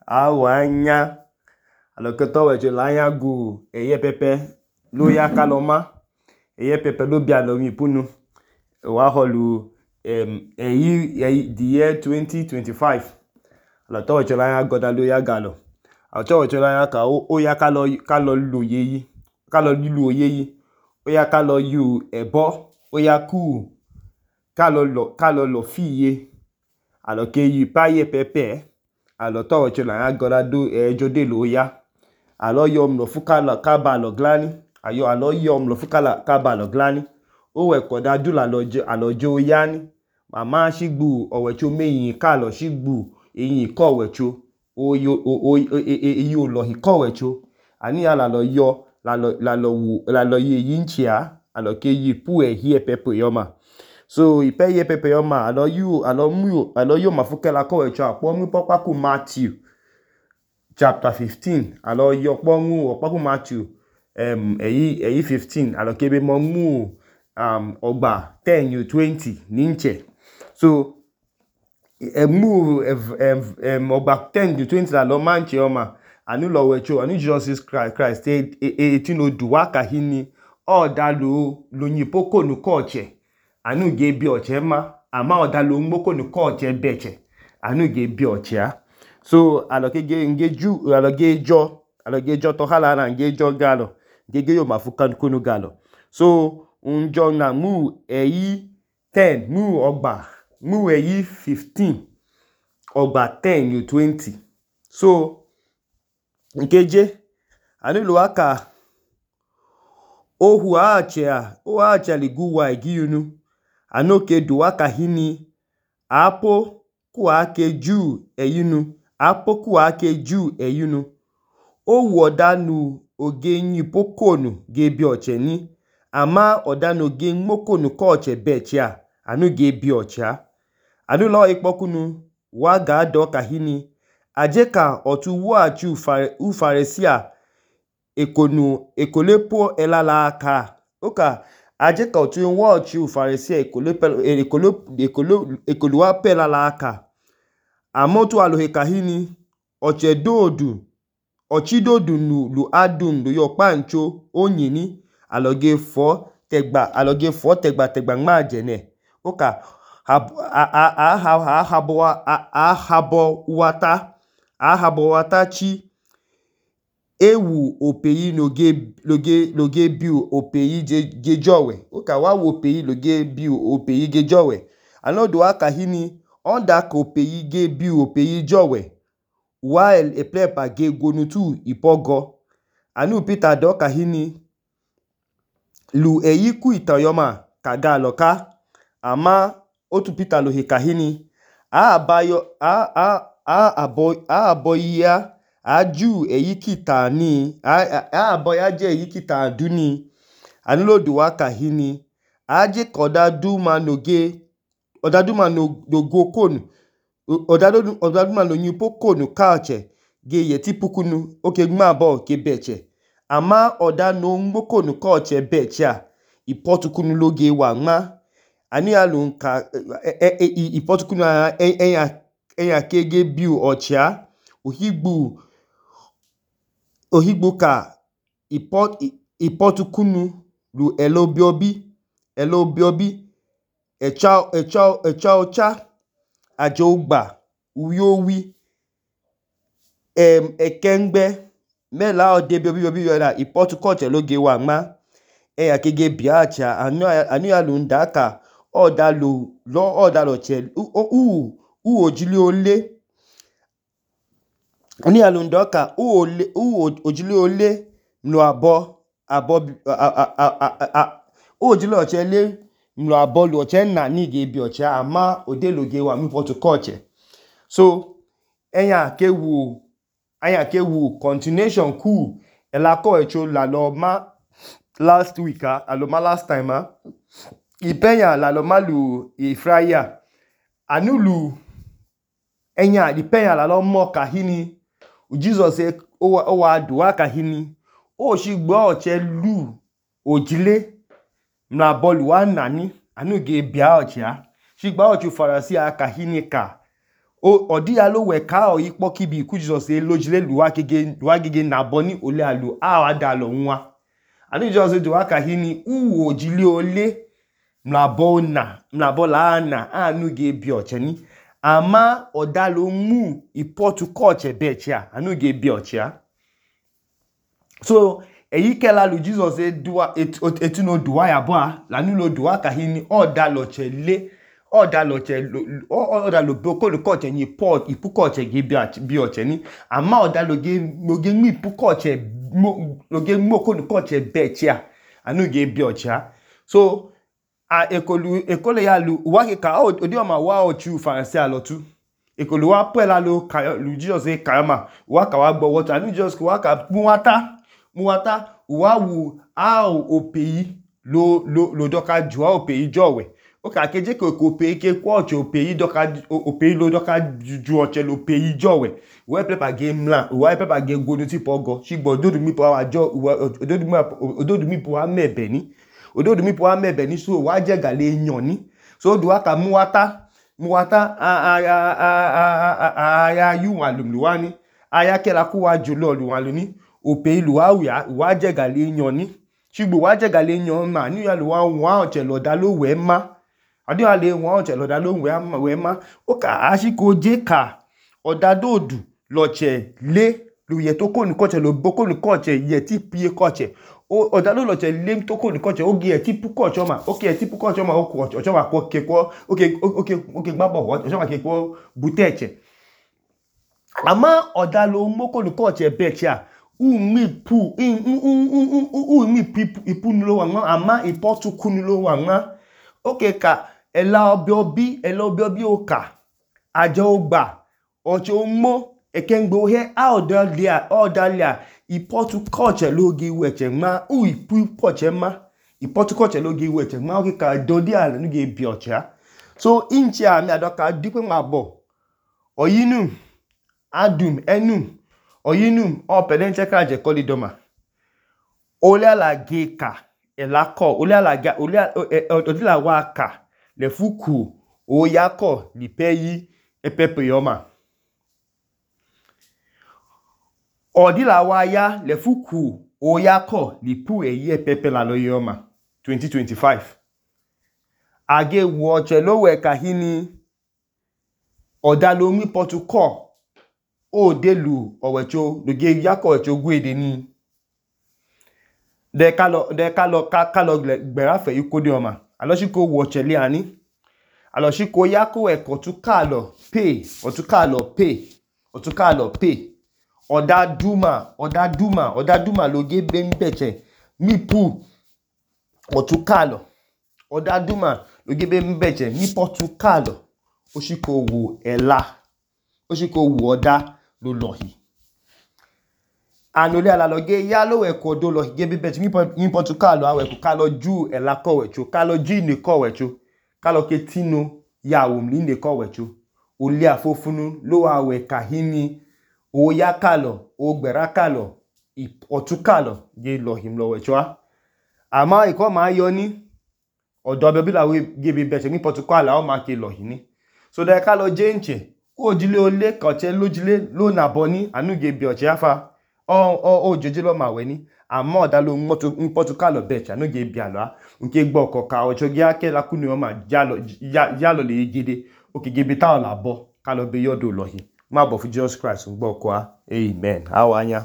Awanya alọkẹtọ wẹcho laya gu ẹyẹ pẹpẹ ló ya kalọ ma. Ẹyẹ pẹpẹ ló bi alọ mipunu. Wa họlu the year 2025. Alọtọ wẹcho laya gọda ló ya galọ. Alọtọ wẹcho laya ka ó ya kalọ loyeyi, kalọ lilu oyeyi, ó ya kalọ yu ẹbọ, ó ya ku kalọ lọfiye. Alọke yu ipaye pẹpẹ. Alọtọ wẹcho laya gọda ẹjọ delo ya. Alọ yọ mlọfu kaba alọ glani. Alọ yọ mlọfu kaba alọ glani. Ó wẹkọda du alọ je oyani. Mama shigbu ọwẹcho meyinyinyi kalọ shigbu eyinyinyi kọwẹcho. Eyi olọhi kọwẹcho. Anu ya lalọ yọ lalọ yeyi ichẹ alọ ke yipu ẹhiyẹ pẹpẹ yọma. So ipehiye pẹpẹ yọma alọ yomafu kẹla kọwẹcho akpọ nmipọkpaku Matthew chapter 15. Alọ yọ kpọ nmu ọkpaku Matthew ẹyi 15. Alọ kebe mọ nmu ọgba 10-20 ninchẹ. So ọgba 10-20 lalọ ma nchẹ ọma. Anu lọwẹcho, anu Jesus Christ etino duwa kahini ọda lo nyipokonu kọchẹ. Anu ge bi ọchẹ ma. Ama ọda lo nmokonu kọchẹ bẹchẹ. Anu ge bi ọchẹ a. So alọ ge jọ tọhala na ge jọ galọ. Ge yomafu kunu galọ. So njọ na nmu ẹyi 10, nmu ẹyi 15, ọgba 10-20. So nkeje, anu luwa ka ohu achẹ liguwa egiyunu. Anu ke duwa kahini apo kuwa ke ju ẹyinu. Owu ọda nu oge nyipokonu ge bi ọchẹ ni. Ama ọda no ge nmokonu kọchẹ bẹchẹ a, anu ge bi ọchẹ a. Anu lọ ikpọkunu wa ga dọ kahini aje ka ọtu wuachi ufarisi a ekolepo ẹlala aka. Oka aje ka ọtu wuachi ufarisi a ekoluwa pẹlala aka. Amotu alohe kahini ọchidodu lu adum lu yọkpa ncho onyini. Alọ ge fọ tegba nmajẹnẹ. Oka ahabọ wata chi ewu opeyi lo ge bi opeyi ge jọwẹ. Oka wa wo opeyi lo ge bi opeyi ge jọwẹ. Anu duwa kahini ọnda ka opeyi ge bi opeyi jọwẹ. Wa ẹplẹpa ge gwonutu ipọgọ. Anu Peter dọ kahini lu ẹyi ku ita yọma ka galọ ka. Ama otu Peter lohe kahini abọyi ya aju ẹyi kita ni. Abọyi aje ẹyi kita duni. Anu lo duwa kahini aje ka ọda duma no gokonu. Ọda duma no nyipokonu kachẹ ge yẹtipukunu. Oke nmabọ ke bẹchẹ. Ama ọda no nmokonu kọchẹ bẹchẹ a, ipọtukunu lo ge wa nma. Anu ya lu nka ipọtukunu ẹnya ke ge bi ọchẹ a. Ohigbu ka ipọtukunu lu ẹlọbiobi ẹcha ọcha ajo ogba uwi owi ẹkẹngbẹ mẹla ọde biobi yọda ipọtu kọchẹ lo ge wa nma. Ẹnya ke ge bi achẹ a. Anu ya lu nda ka ọda lọchẹ ojili ole. Anu ya lu nda ka ojili ole mlu abọ lu ọchẹ nani ge bi ọchẹ a. Ama ode lo ge wa nmipọtu kọchẹ. So ẹnya ke wu continuation ku ẹla kọwẹcho lalọ ma last week a. Lalọ ma last time a. Ipẹnya lalọ ma lu Friday a. Anu lu ẹnya ipẹnya lalọ mọ kahini Jesus owa duwa kahini oshigbo ọchẹ lu ojile mlu abọ luwa nani. Anu ge bia ọchẹ a. Shigbo ọchẹ ufarisi a kahini ka Ọdịya lo weka ikpọ kibi ku Jesus elojile luwa gege nabọ ni ole alu awada alọ nwa. Anu Jesus duwa kahini uwo ojili ole mlabọ laana anu ge bi ọchẹni. Ama ọda lo mu ipotu kọọchẹ bẹẹchẹ anu ge bi ọchẹ. So eyi kẹla lu Jesus etino duwa yabọ lanu lo duwa kahini ọda lọchẹ le ọda lo bokolu kọọchẹ ni ipu kọọchẹ ge bi ọchẹ ni. Ama ọda lo ge mu ipu kọọchẹ lo ge mu okolu kọọchẹ bẹẹchẹ anu ge bi ọchẹ. So ekole ya lu uwa keka odi ọma wa ọchu Farisee alọtu. Ekolu wa pẹla lu Jesus kayọma uwa ka wa gbọ wọta anu Jesus uwa ka muwata uwa wu opeyi lo doka juwa opeyi jọwẹ. Oka keje ko opeyi ke kwa ọchẹ opeyi lo doka ju ọchẹ lo opeyi jọwẹ. Uwa pepa ge mla uwa pepa ge gwonu tipa ọgọ ṣigbọ ododumi wa mẹbẹ ni. Ododumi wa mẹbẹ ni so uwa jẹ gale enyan ni. So duwa ka muwata aya yuwa luwa ni. Aya kẹla ku wa jùlọ luwa lu ni. Opeyi luwa wia uwa jẹ gale enyan ni. Ṣigbọ uwa jẹ gale enyan ma ni ya luwa wọn ọchẹ lọda lo wẹ ma. Adiwa le wọn ọchẹ lọda lo wẹ ma. Oka ashiko je ka ọda dodu lọchẹ le lu yẹ to konu kọọchẹ lo bokonu kọọchẹ yẹ ti piye kọọchẹ. Ọda lo lọchẹ le to konu kọọchẹ oge yẹ ti pu kọọchẹ ọma. Oke yẹ ti pu kọọchẹ ọma ọchẹ ọma kọ kekọ oke gbabọ ọchẹ ọma kekọ bute ẹchẹ. Ama ọda lo mokonu kọọchẹ bẹẹchẹ umi ipu nulo wa nwa ama ipotu kunu lo wa nwa. Oke ka ẹla ọbẹ obi oka aja ogba ọchẹ omo ekengbe ohe ọda lia ipotu kọọchẹ lo ge wẹchẹ nwa ipu kọọchẹ ma ipotu kọọchẹ lo ge wẹchẹ nwa oke ka dodi ala nu ge bi ọchẹ. So inchi ami adoka dipe mabọ oyinu adum enum oyinum ọpẹdẹnchẹ ka jẹ kọli dọma. Ole ala ge ka elakọ ọdila wa ka lefuku oyakọ lipeyi epepe yọma. Ọdila wa ya lefuku oyakọ lipu eyi epepe la lo yọma 2025. Age wu ọchẹ lo wẹ kahini ọda lo mi potu kọ o delu ọwẹcho lo ge yakọ ọwẹcho gwede ni. De kalọ gbẹrafẹ ikode ọma. Alọshiko wu ọchẹ le ani. Alọshiko yakọ ẹkọ tu kalọ pay. Ọda duma lo ge be mbẹchẹ mi pu ọtu kalọ. Ọda duma lo ge be mbẹchẹ mi potu kalọ. Oshiko wu ẹla. Oshiko wu ọda lo lọhi. Anole ala lo ge ya lo ẹkọ do lọhi ge be bẹchẹ mi potu kalọ awẹku kalọ ju ẹla kọwẹcho kalọ ju ine kọwẹcho kalọ ke tino ya womli ine kọwẹcho. Ole afofunu lo wa wẹ kahini oya kalọ ogbẹra kalọ ọtu kalọ ge lọhi mlọwẹcho. Ama ikọ ma yọ ni ọdọ ọbẹ bila we ge be bẹchẹ mi potu kalọ ọ ma ke lọhi ni. So de kalọ je nche ojile ole kọchẹ lojile lo nabọ ni anu ge bi ọchẹ afa ojoje lo ma wẹ ni. Ama ọda lo mpotu kalọ bẹchẹ anu ge bi alọ nke gbọ ọkọka ọchọ ge akẹla kunu ọma jalọ le gede oke ge be ta ọla bọ kalọ be yọdo lọhi. Ma bọ fu Jesus Christ gbọ ọkọ. Amen. Awanya.